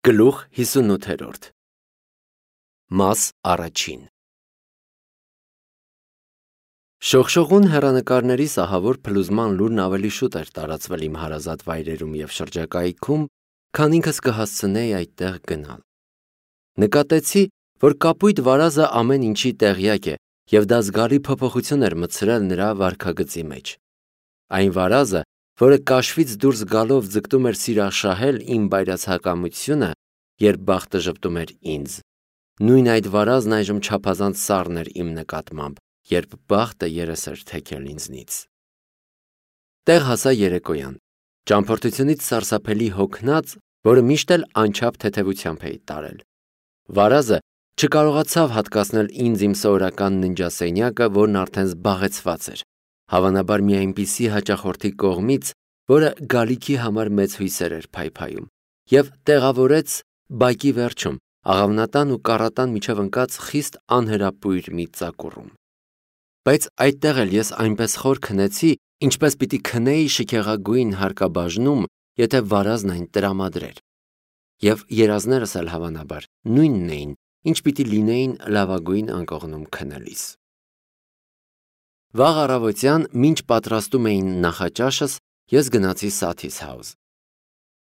Գլուխ 58 Մաս առաջին Շողշողուն հեռանկարների սահավոր փլուզման լուրն ավելի շուտ էր տարածվել իմ հարազատ վայրերում և շրջակայքում, քան ինքս կհասցնեի այդտեղ գնալ։ Նկատեցի, որ կապույտ վարազը ամեն ինչի տեղյակ է, և դա զգալի փոփոխություն էր մտցրել նրա վարքագծի մեջ։ Այն վարազը, որը կաշվից դուրս գալով ձգտում էր սիրաշահել իմ բայրացակամությունը, երբ բախտը ժպտում էր ինձ, նույն այդ վարազն այժմ չափազանց սառն էր իմ նկատմամբ, երբ բախտը երես էր թեքել ինձնից։ Տեղ հասա երեկոյան, ճամփորդությունից սարսափելի հոգնած, որը միշտ էլ անչափ թեթևությամբ էի տարել։ Վարազը չկարողացավ հատկացնել ինձ իմ սովորական ննջասենյակը, որն արդեն զբաղեցված էր, հավանաբար մի այնպիսի հաճախորդի կողմից, որը գալիքի համար մեծ հույսեր էր փայփայում, և տեղավորեց բակի վերջում, աղավնատան ու կառատան միջև ընկած խիստ անհրապույր մի ծակուռում։ Բայց այդտեղ էլ ես այնպես խոր քնեցի, ինչպես պիտի քնեի շքեղագույն հարկաբաժնում, եթե վարազն այն տրամադրեր։ Եվ երազներս էլ հավանաբար նույնն էին, ինչ պիտի լինեին լավագույն անկողնում քնելիս։ Վաղ առավոտյան, մինչ պատրաստում էին նախաճաշս, ես գնացի Սաթիս House։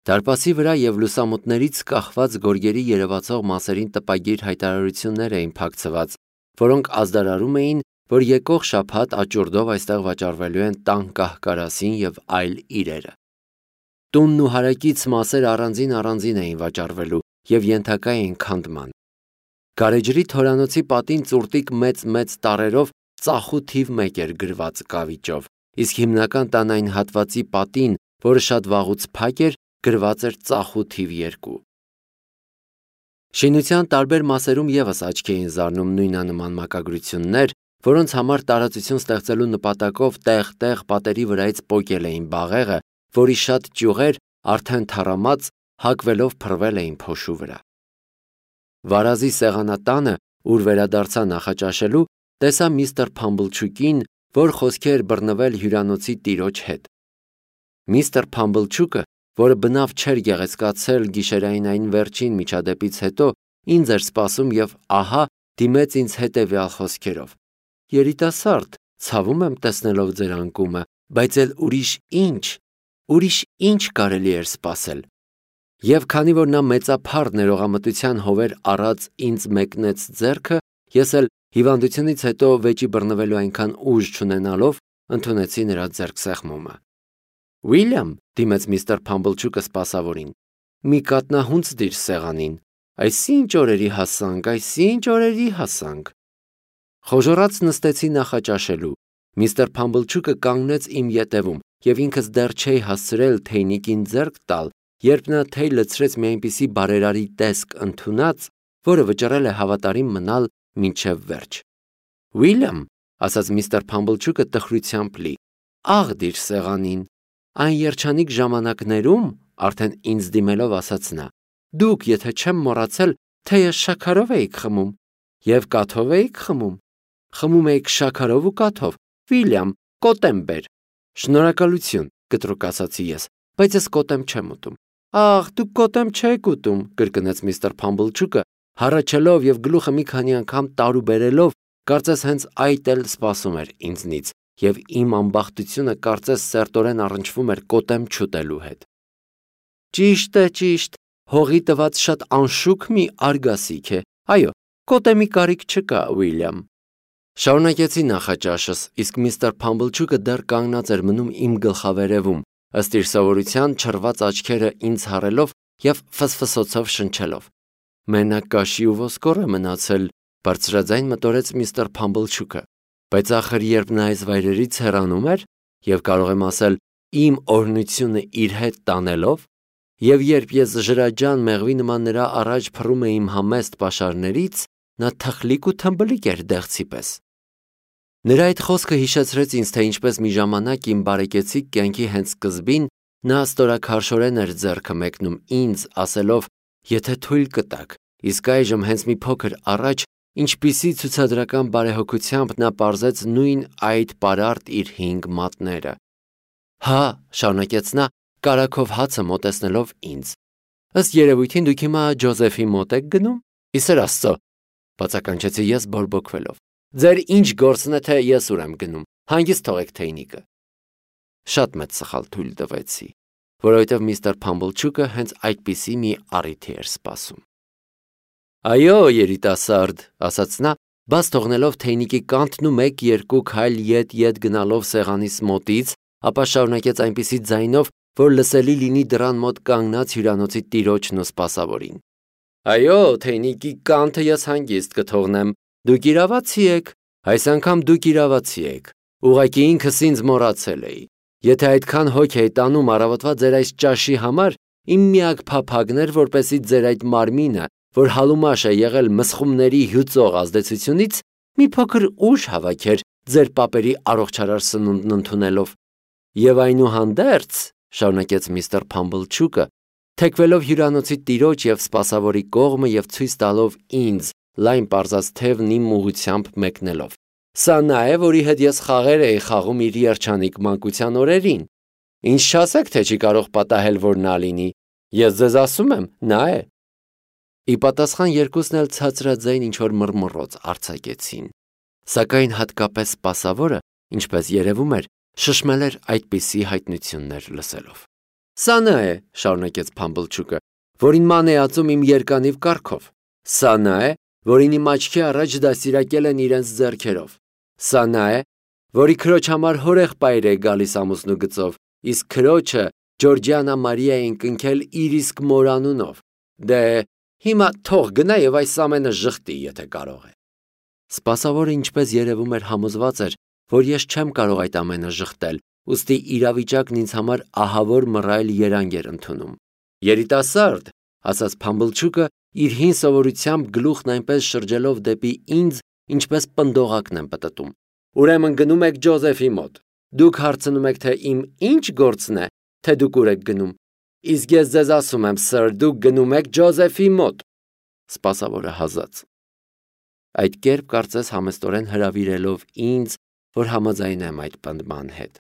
Դարպասի վրա և լուսամուտներից կախված գորգերի երևացող մասերին տպագիր հայտարարություններ էին փակցված, որոնք ազդարարում էին, որ եկող շաբաթ աճուրդով այստեղ վաճառվելու են տան կահ-կարասին և այլ իրերը։ Տունն ու հարակից մասեր առանձին էին վաճառվելու և ենթակա էին քանդման։ Գարեջրի թորանոցի պատին ծուրտիկ մեծ տառերով ծախու թիվ 1 էր գրված կավիճով, իսկ հիմնական տան այն հատվածի պատին, որը շատ վաղուց փակ էր, գրված էր ծախու թիվ 2։ Շինության տարբեր մասերում ևս աչքի էին զարնում նույնանման մակագրություններ, որոնց համար տարածություն ստեղծելու նպատակով տեղ-տեղ պատերի վրայից պոկել էին բաղեղը, որի շատ ճյուղեր, արդեն թառամած, հակվելով փռվել էին փոշու վրա։ Վարազի սեղանատանը, ուր վերադարձա նախաճաշելու, տեսա միստր Փամբլչուկին, որ խոսքի էր բռնվել հյուրանոցի տիրոջ հետ։ Միստր Փամբլչուկը, որը բնավ չէր գեղեցկացել գիշերային այն վերջին միջադեպից հետո, ինձ էր սպասում և ահա դիմեց ինձ հետևյալ խոսքերով. «Երիտասարդ, ցավում եմ տեսնելով ձեր անկումը, բայց էլ ուրիշ ինչ կարելի էր սպասել»։ Եվ քանի որ նա մեծափառ ներողամտության հովեր առած ինձ մեկնեց ձեռքը, ես էլ հիվանդությունից հետո վեճի բռնվելու այնքան ուժ չունենալով, ընդունեցի նրա ձեռքսեղմումը։ «Ուիլյամ», դիմեց միստր Փամբլչուկը սպասավորին, «մի կատնահունձ դիր սեղանին, այսինչ օրերի հասանք»։ Խոժոռած նստեցի նախաճաշելու։ Միստր Փամբլչուկը կանգնեց իմ ետևում, և ինքս դեռ չէի հասցրել թեյնիկին ձեռք տալ, երբ նա թեյ լցրեց մի այնպիսի բարերարի տեսք ընդունած, որը վճռել է հավատարիմ մնալ մինչև վերջ։ «Ուիլյամ», ասաց միստր Փամբլչուկը տխրությամբ լի, «աղ դիր սեղանին»։ Այն երջանիկ ժամանակներում, արդեն ինձ դիմելով ասաց նա, դուք, եթե չեմ մոռացել, թեյը շաքարով էիք խմում և կաթով էիք խմում։ Խմում էիք շաքարով ու կաթով, Ուիլյամ, կոտեմ բեր։ Շնորհակալություն, կտրուկ ասացի ես, բայց ես կոտեմ չեմ ուտում։ Աղ, դուք կոտեմ չեք ուտում, կրկնեց միստր Փամբլչուկը, հառաչելով և գլուխը մի քանի անգամ տարուբերելով, կարծես հենց այդ էլ սպասում էր ինձնից, և իմ ամբախտությունը կարծես սերտորեն առնչվում էր կոտեմ չուտելու հետ։ Ճիշտ, հողի տված շատ անշուք մի արգասիք է, այո, կոտեմի կարիք չկա, Ուիլյամ։ Շարունակեցի նախաճաշս, իսկ միստր Փամբլչուկը դեռ կանգնած էր մնում իմ գլխավերևում, ըստ իր սովորության չռված աչքերը ինձ հառելով և ֆսֆսոցով շնչելով։ Մենակ կաշի ու ոսկոր է մնացել, բարձրաձայն մտորեց միստր Փամբլչուկը, բայց ախր երբ նա այս վայրերից հեռանում էր, և կարող եմ ասել իմ օրհնությունը իր հետ տանելով, և երբ ես ջրաջան մեղվի նման նրա առաջ փռում էի իմ համեստ պաշարներից, նա թխլիկ ու թմբլիկ էր դեղցի պես։ Նրա այդ խոսքը հիշեցրեց ինձ, թե ինչպես մի ժամանակ իմ բարեկեցիկ կյանքի հենց սկզբին նա ստորաքարշորեն էր ձեռքը մեկնում ինձ, ասելով. «Եթե թույլ կտաք, իսկ այժմ հենց մի փոքր առաջ ինչպիսի ցուցադրական բարեհոգությամբ նա պարզեց նույն այդ պարարտ իր 5 մատները»։ Հա, շարունակեց նա, կարագով հացը մոտեցնելով ինձ, Ըստ երևույթին դուք հիմա Ջոզեֆի մոտ եք գնում։ Իսեր Աստծո, բացականչեցի ես բորբոքվելով։ Ձեր ինչ գործն է, թե ես ուր եմ գնում։ Հանգիստ թողեք թեյնիկը։ Շատ մեծ սխալ թույլ տվեցի, որովհետև միստր Փամբլչուկը հենց այդպիսի մի առիթ էր սպասում։ Այո, երիտասարդ, ասաց նա, բաց թողնելով թեյնիկի կանթն ու 1-2 քայլ ետ գնալով սեղանիս մոտից, ապա շարունակեց այնպիսի ձայնով, որ լսելի լինի դռան մոտ կանգնած հյուրանոցի տիրոջն ու սպասավորին։ Այո, թեյնիկի կանթը ես հանգիստ կթողնեմ։ Դուք իրավացի եք, այս անգամ դուք իրավացի եք։ Ուղղակի ինքս ինձ մոռացել էի։ Եթե այդքան հոգ էի տանում առավոտվա ձեր այս ճաշի համար, իմ միակ փափագն էր, որպեսզի ձեր այդ մարմինը, որ հալումաշ է եղել մսխումների հյուծող ազդեցությունից, մի փոքր ուժ հավաքեր ձեր պապերի առողջարար սնունդն ընդունելով։ Եվ այնուհանդերձ, շարունակեց միստր Փամբլչուկը, թեքվելով հյուրանոցի տիրոջ եւ սպասավորի կողմը եւ ցույց տալով ինձ լայն պարզած թևն իմ ուղությամբ մեկնելով։ Սա նա է, որի հետ ես խաղեր էի խաղում իր երջանիկ մանկության օրերին։ Ինչ չասեք, թե չի կարող պատահել, որ նա լինի։ Ես ձեզ ասում եմ, նա է։ Ի պատասխան երկուսն էլ ցածրաձայն ինչ-որ մռմռոց արձակեցին, սակայն հատկապես սպասավորը, ինչպես երևում էր, շշմել էր այդպիսի հայտնություններ լսելով։ Սա նա է, շարունակեց Փամբլչուկը, որին ման է ածում իմ երկանիվ կառքով։ Սա նա է, որին իմ աչքի առաջ դաստիարակել են իրենց ձեռքերով։ Սա նա է, որի քրոջ համար հորեղբայր է գալիս ամուսնու գծով, իսկ քրոջը Ջորջիանա Մարիային կնքել իր իսկ մորանունով։ Դե հիմա թող գնա եւ այս ամենը ժխտի, եթե կարող է։ Սպասավորը ինչպես երևում էր համոզված էր, որ ես չեմ կարող այդ ամենը ժխտել, ուստի իրավիճակն ինձ համար ահավոր մռայլ երանգ էր ընդունում։ Երիտասարդ, ասաց Փամբլչուկը, իր հին սովորությամբ գլուխն այնպես շրջելով դեպի ինձ, ինչպես պնդողակն եմ պտտում։ Ուրեմն գնում եք Ջոզեֆի մոտ։ Դուք հարցնում եք, թե իմ ինչ գործն է, թե դուք ուր եք գնում։ Իսկ ես ձեզ ասում եմ, սըր, դուք գնում եք Ջոզեֆի մոտ։ Սպասավորը հազաց։ Այդ կերպ կարծես համեստորեն հրավիրելով ինձ, որ համաձայնեմ այդ պնդման հետ։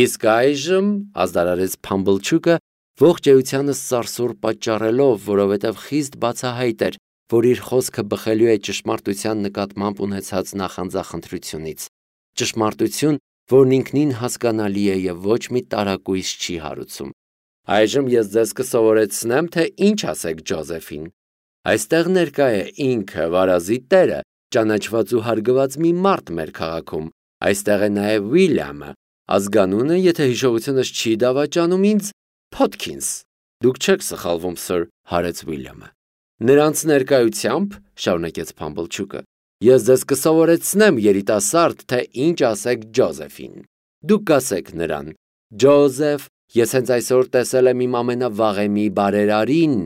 Իսկ այժմ, ազդարարեց Փամբլչուկը, ողջ էությանս սարսուռ պատճառելով, որովհետև խիստ բացահայտ էր, որ իր խոսքը բխելու է ճշմարտության նկատմամբ ունեցած նախանձախնդրությունից։ Ճշմարտություն, որն ինքնին հասկանալի է եւ ոչ մի տարակույս չի հարուցում։ Այժմ ես ձեզ կսովորեցնեմ, թե ինչ ասեք Ջոզեֆին։ Այստեղ ներկա է ինքը վարազի տերը, ճանաչված ու հարգված մի մարդ մեր քաղաքում։ Այստեղ է նաև Ուիլյամը, ազգանունը, եթե հիշողությունս չի դավաճանում ինձ, Փոթքինս։ Դուք չեք սխալվում, սըր, հարեց Ուիլյամը։ Նրանց ներկայությամբ, շարունակեց Փամբլչուկը, ես ձեզ կսովորեցնեմ, երիտասարդ, թե ինչ ասեք Ջոզեֆին։ Դուք կասեք նրան. Ջոզեֆ, ես հենց այսօր տեսել եմ իմ ամենավաղեմի բարերարին,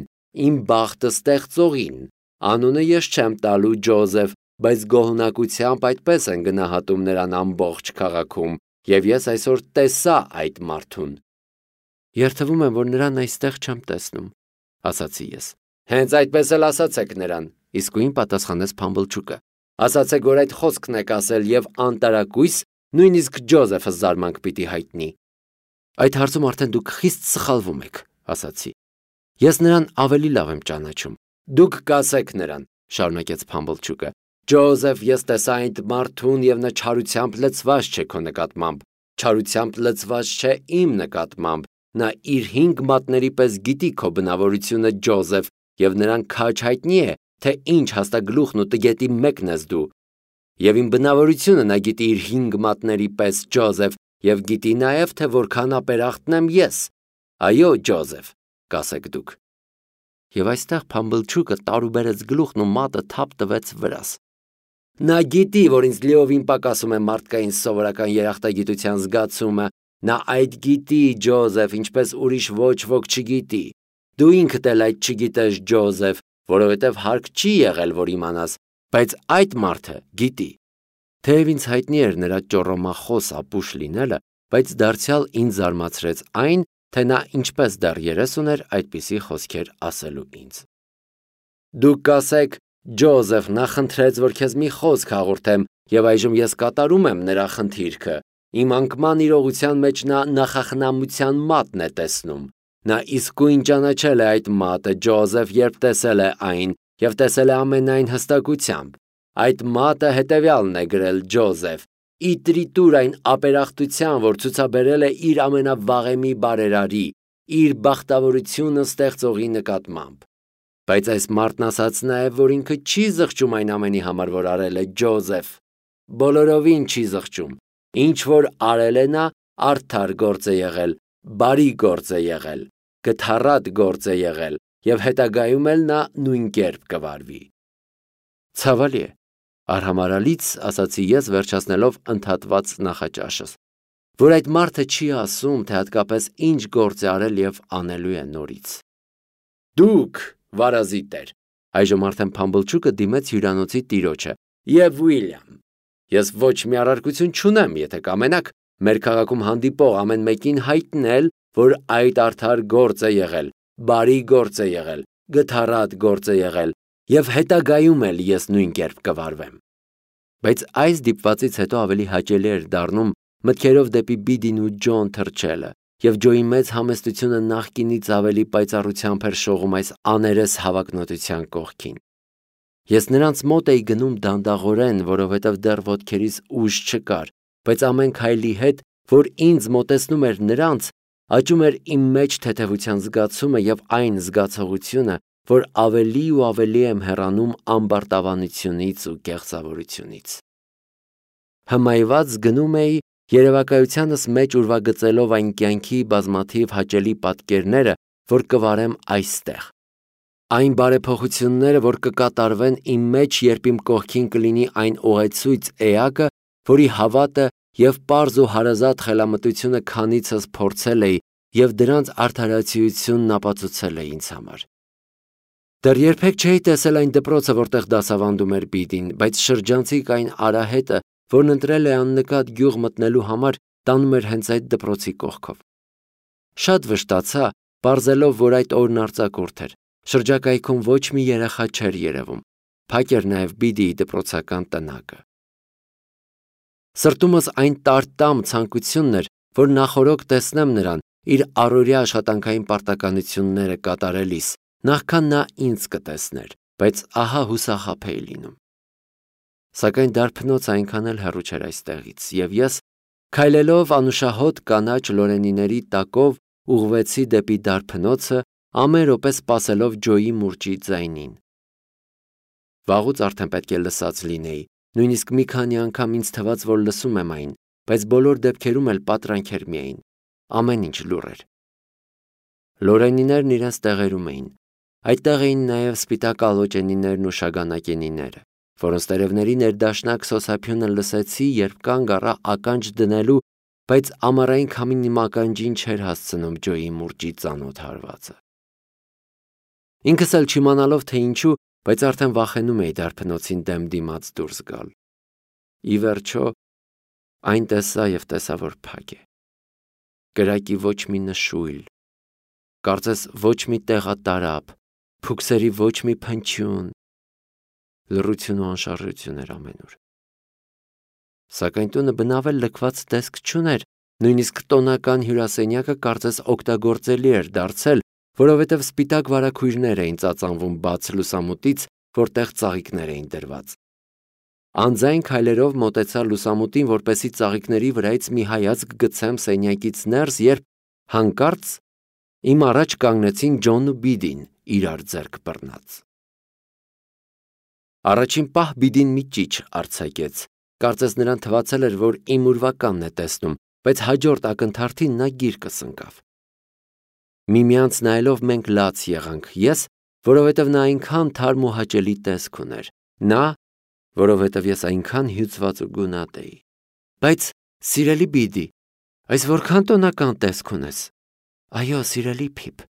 իմ բախտը ստեղծողին։ Անունը ես չեմ տալու Ջոզեֆ, բայց գոհունակությամբ այդպես են գնահատում նրան ամբողջ քաղաքում, եւ ես այսօր տեսա այդ մարդուն։ Երթվում եմ, որ նրան այստեղ չեմ տեսնում, ասացի ես։ Հենց այդպես էլ ասացեք նրան, իսկույն պատասխանեց Փամբլչուկը։ Ասացեք, որ այդ խոսքն եք ասել եւ անտարակույս, նույնիսկ Ջոզեֆը զարմանք պիտի հայտնի։ Այդ հարցում արդեն դուք խիստ սխալվում եք, ասացի։ Ես նրան ավելի լավ եմ ճանաչում։ Դուք կասեք նրան, շարունակեց Փամբլչուկը։ Ջոզեֆ, ես տեսա այդ մարդուն եւ նա չարությամբ լցված չէ քո նկատմամբ։ Չարությամբ լցված չէ իմ նկատմամբ։ Նա իր 5 մատների պես գիտի քո բնավորությունը, Ջոզեֆ, եւ նրան քաջ հայտնի է, թե ինչ հաստագլուխն ու տգետի մեկն ես դու։ Եվ իմ բնավորությունը նա գիտի իր 5 մատների պես, Ջոզեֆ, եւ գիտի նաեւ, թե որքան ապերախտն եմ ես։ Այո, Ջոզեֆ, կասեք դուք։ Եվ այստեղ Փամբլչուկը տարուբերեց գլուխն ու մատը թափ տվեց վրաս։ Նա գիտի, որ ինձ լիովին պակասում է մարդկային սովորական երախտագիտության զգացումը։ Նա այդ գիտի, Ջոզեֆ, ինչպես ուրիշ ոչ ոք չգիտի։ Դու ինքդ էլ այդ չգիտես, Ջոզեֆ, որովհետև հարկ չի եղել, որ իմանաս, բայց այդ մարդը գիտի։ Թեև ինձ հայտնի էր նրա ճոռոմախոս ապուշ լինելը, բայց դարձյալ ինձ զարմացրեց այն, թե նա ինչպես դեռ երես ուներ այդպիսի խոսքեր ասելու ինձ։ Դուք կասեք, Ջոզեֆ, նա խնդրեց, որ քեզ մի խոսք հաղորդեմ, եւ այժմ ես կատարում եմ նրա խնդիրքը։ Իմ անկման իրողության մեջ նա նախախնամության մատն է տեսնում։ Նա իսկույն ճանաչել է այդ մատը Ջոզեֆ, երբ տեսել է այն, եւ տեսել է ամենայն հստակությամբ։ Այդ մատը հետևյալն է գրել Ջոզեֆ. «Իտրիտուր այն ապերախտության, որ ցուցաբերել է իր ամենավաղեմի բարերարի, իր բախտավորությունը ստեղծողի նկատմամբ»։ Բայց այս մարդն ասաց նաև, որ ինքը չի զղջում այն ամենի համար, որ արել է Ջոզեֆ։ Բոլորովին չի զղջում։ Ինչ որ արել է նա, արդար գործ է եղել, բարի գործ է եղել, գթառատ գործ է եղել, եւ հետագայում էլ նա նույն կերպ կվարվի։ Ցավալի է, արհամարհալից ասացի ես, վերջացնելով ընդհատված նախաճաշս, որ այդ մարդը չի ասում, թե հատկապես ինչ գործ է արել եւ անելու է նորից։ Դուք, վարազի տեր, այժմ արդեն Փամբլչուկը դիմեց հյուրանոցի տիրոջը, եւ Ուիլյամ, ես ոչ մի առարկություն չունեմ, եթե կամենաք մեր քաղաքում հանդիպող ամեն մեկին հայտնել, որ այդ արդար գործ է եղել, բարի գործ է եղել, գթառատ գործ է եղել, եւ հետագայում էլ ես նույն կերպ կվարվեմ։ Բայց այս դիպվածից հետո ավելի հաճելի էր դառնում մտքերով դեպի Բիդին ու Ջոն թռչելը, եւ Ջոյի մեծ համեստությունը նախկինից ավելի պայծառությամբ էր շողում այս աներես հավակնոտության կողքին։ Ես նրանց մոտ էի գնում դանդաղորեն, որովհետև դեռ ոտքերիս ուժ չկար, բայց ամեն քայլի հետ, որ ինձ մոտեցնում էր նրանց, աճում էր իմ մեջ թեթևության զգացումը եւ այն զգացողությունը, որ ավելի ու ավելի եմ հեռանում ամբարտավանությունից ու կեղծավորությունից։ Հմայված գնում էի, երևակայությանս մեջ ուրվագծելով այն կյանքի բազմաթիվ հաճելի պատկերները, որ կվարեմ այստեղ։ Այն բարեփոխությունները, որ կկատարվեն իմ մեջ, երբ իմ կողքին կլինի այն ուղեցույց էակը, որի հավատը եւ պարզ ու հարազատ խելամտությունը քանիցս փորձել էի եւ դրանց արդարացիությունն ապացուցել է ինձ համար։ Դեռ երբեք չէի տեսել այն դպրոցը, որտեղ դասավանդում էր Բիդին, բայց շրջանցիկ այն արահետը, որն ընտրել է աննկատ գյուղ մտնելու համար, տանում էր հենց այդ դպրոցի կողքով։ Շատ վշտացա, պարզելով, որ այդ օրն արձակուրդ էր։ Շրջակայքում ոչ մի երեխա չէր երևում։ Փակ էր նաև Բիդիի դպրոցական տնակը։ Սրտումս այն տարտամ ցանկությունն էր, որ նախորոք տեսնեմ նրան իր առօրյա աշխատանքային պարտականությունները կատարելիս, նախքան նա ինձ կտեսներ, բայց ահա հուսախաբ էի լինում։ Սակայն դարբնոցը այնքան էլ հեռու չէր այստեղից, եւ ես, քայլելով անուշահոտ կանաչ լորենիների տակով, ուղղվեցի դեպի դարբնոցը, ամեն րոպե սպասելով Ջոյի մուրճի ձայնին։ Վաղուց արդեն պետք է լսած լինեի, նույնիսկ մի քանի անգամ ինձ թվաց, որ լսում եմ այն, բայց բոլոր դեպքերում էլ պատրանքեր միայն, ամեն ինչ լուռ էր։ Լորենիներն իրենց տեղերում էին։ Այդտեղ էին նաև սպիտակ ալոճենիներն ու շագանակենիները, որոնց տերևների ներդաշնակ սոսափյունը լսեցի, երբ կանգ առա ականջ դնելու, բայց ամառային քամին իմ ականջին չէր հասցնում Ջոյի մուրճի ծանոթ հարվածը։ Ինքս էլ չիմանալով թե ինչու, բայց արդեն վախենում էի դարբնոցին դեմ դիմաց դուրս գալ։ Ի վերջո, այն տեսա եւ տեսա, որ փակ է։ Կրակի ոչ մի նշույլ, կարծես ոչ մի տեղատարապ, փուքսերի ոչ մի փնչյուն, լռություն ու անշարժություն էր ամենուր։ Սակայն տունը բնավ էլ լքված տեսք չուներ, նույնիսկ տոնական հյուրասենյակը կարծես օգտագործելի էր դարձել, որովհետև սպիտակ վարագույրներ էին ծածանվում բաց լուսամուտից, որտեղ ծաղիկներ էին դրված։ Անձայն քայլերով մոտեցա լուսամուտին, որպեսզի ծաղիկների վրայից մի հայացք գցեմ սենյակից ներս, երբ հանկարծ իմ առաջ կանգնեցին Ջոնն ու Բիդին, իրար ձեռք բռնած։ Առաջին պահ Բիդին մի ճիչ արձակեց, կարծես նրան թվացել էր, որ իմ ուրվականն է տեսնում, բայց հաջորդ ակնթարթին նա գիրկս ընկավ։ Միմյանց նայելով մենք լաց եղանք, ես, որովհետև նա այնքան թարմ ու հաճելի տեսք ուներ, նա, որովհետև ես այնքան հյուծված ու գունատ էի։ Բայց, սիրելի Բիդի, այս որքան տոնական տեսք ունես։ Այո, սիրելի Փիփ։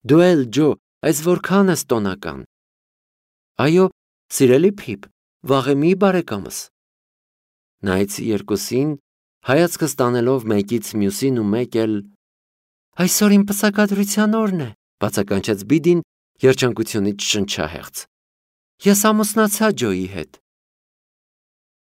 Դու էլ, Ջո, այս որքան ես տոնական։ Այո, սիրելի Փիփ, վաղեմի բարեկամս։ Նայեցի երկուսին, հայացքս տանելով մեկից մյուսին ու մեկ էլ Այսօր իմ պսակադրության օրն է, բացականչեց Բիդին երջանկությունից շնչահեղձ։ Ես ամուսնացա Ջոյի հետ։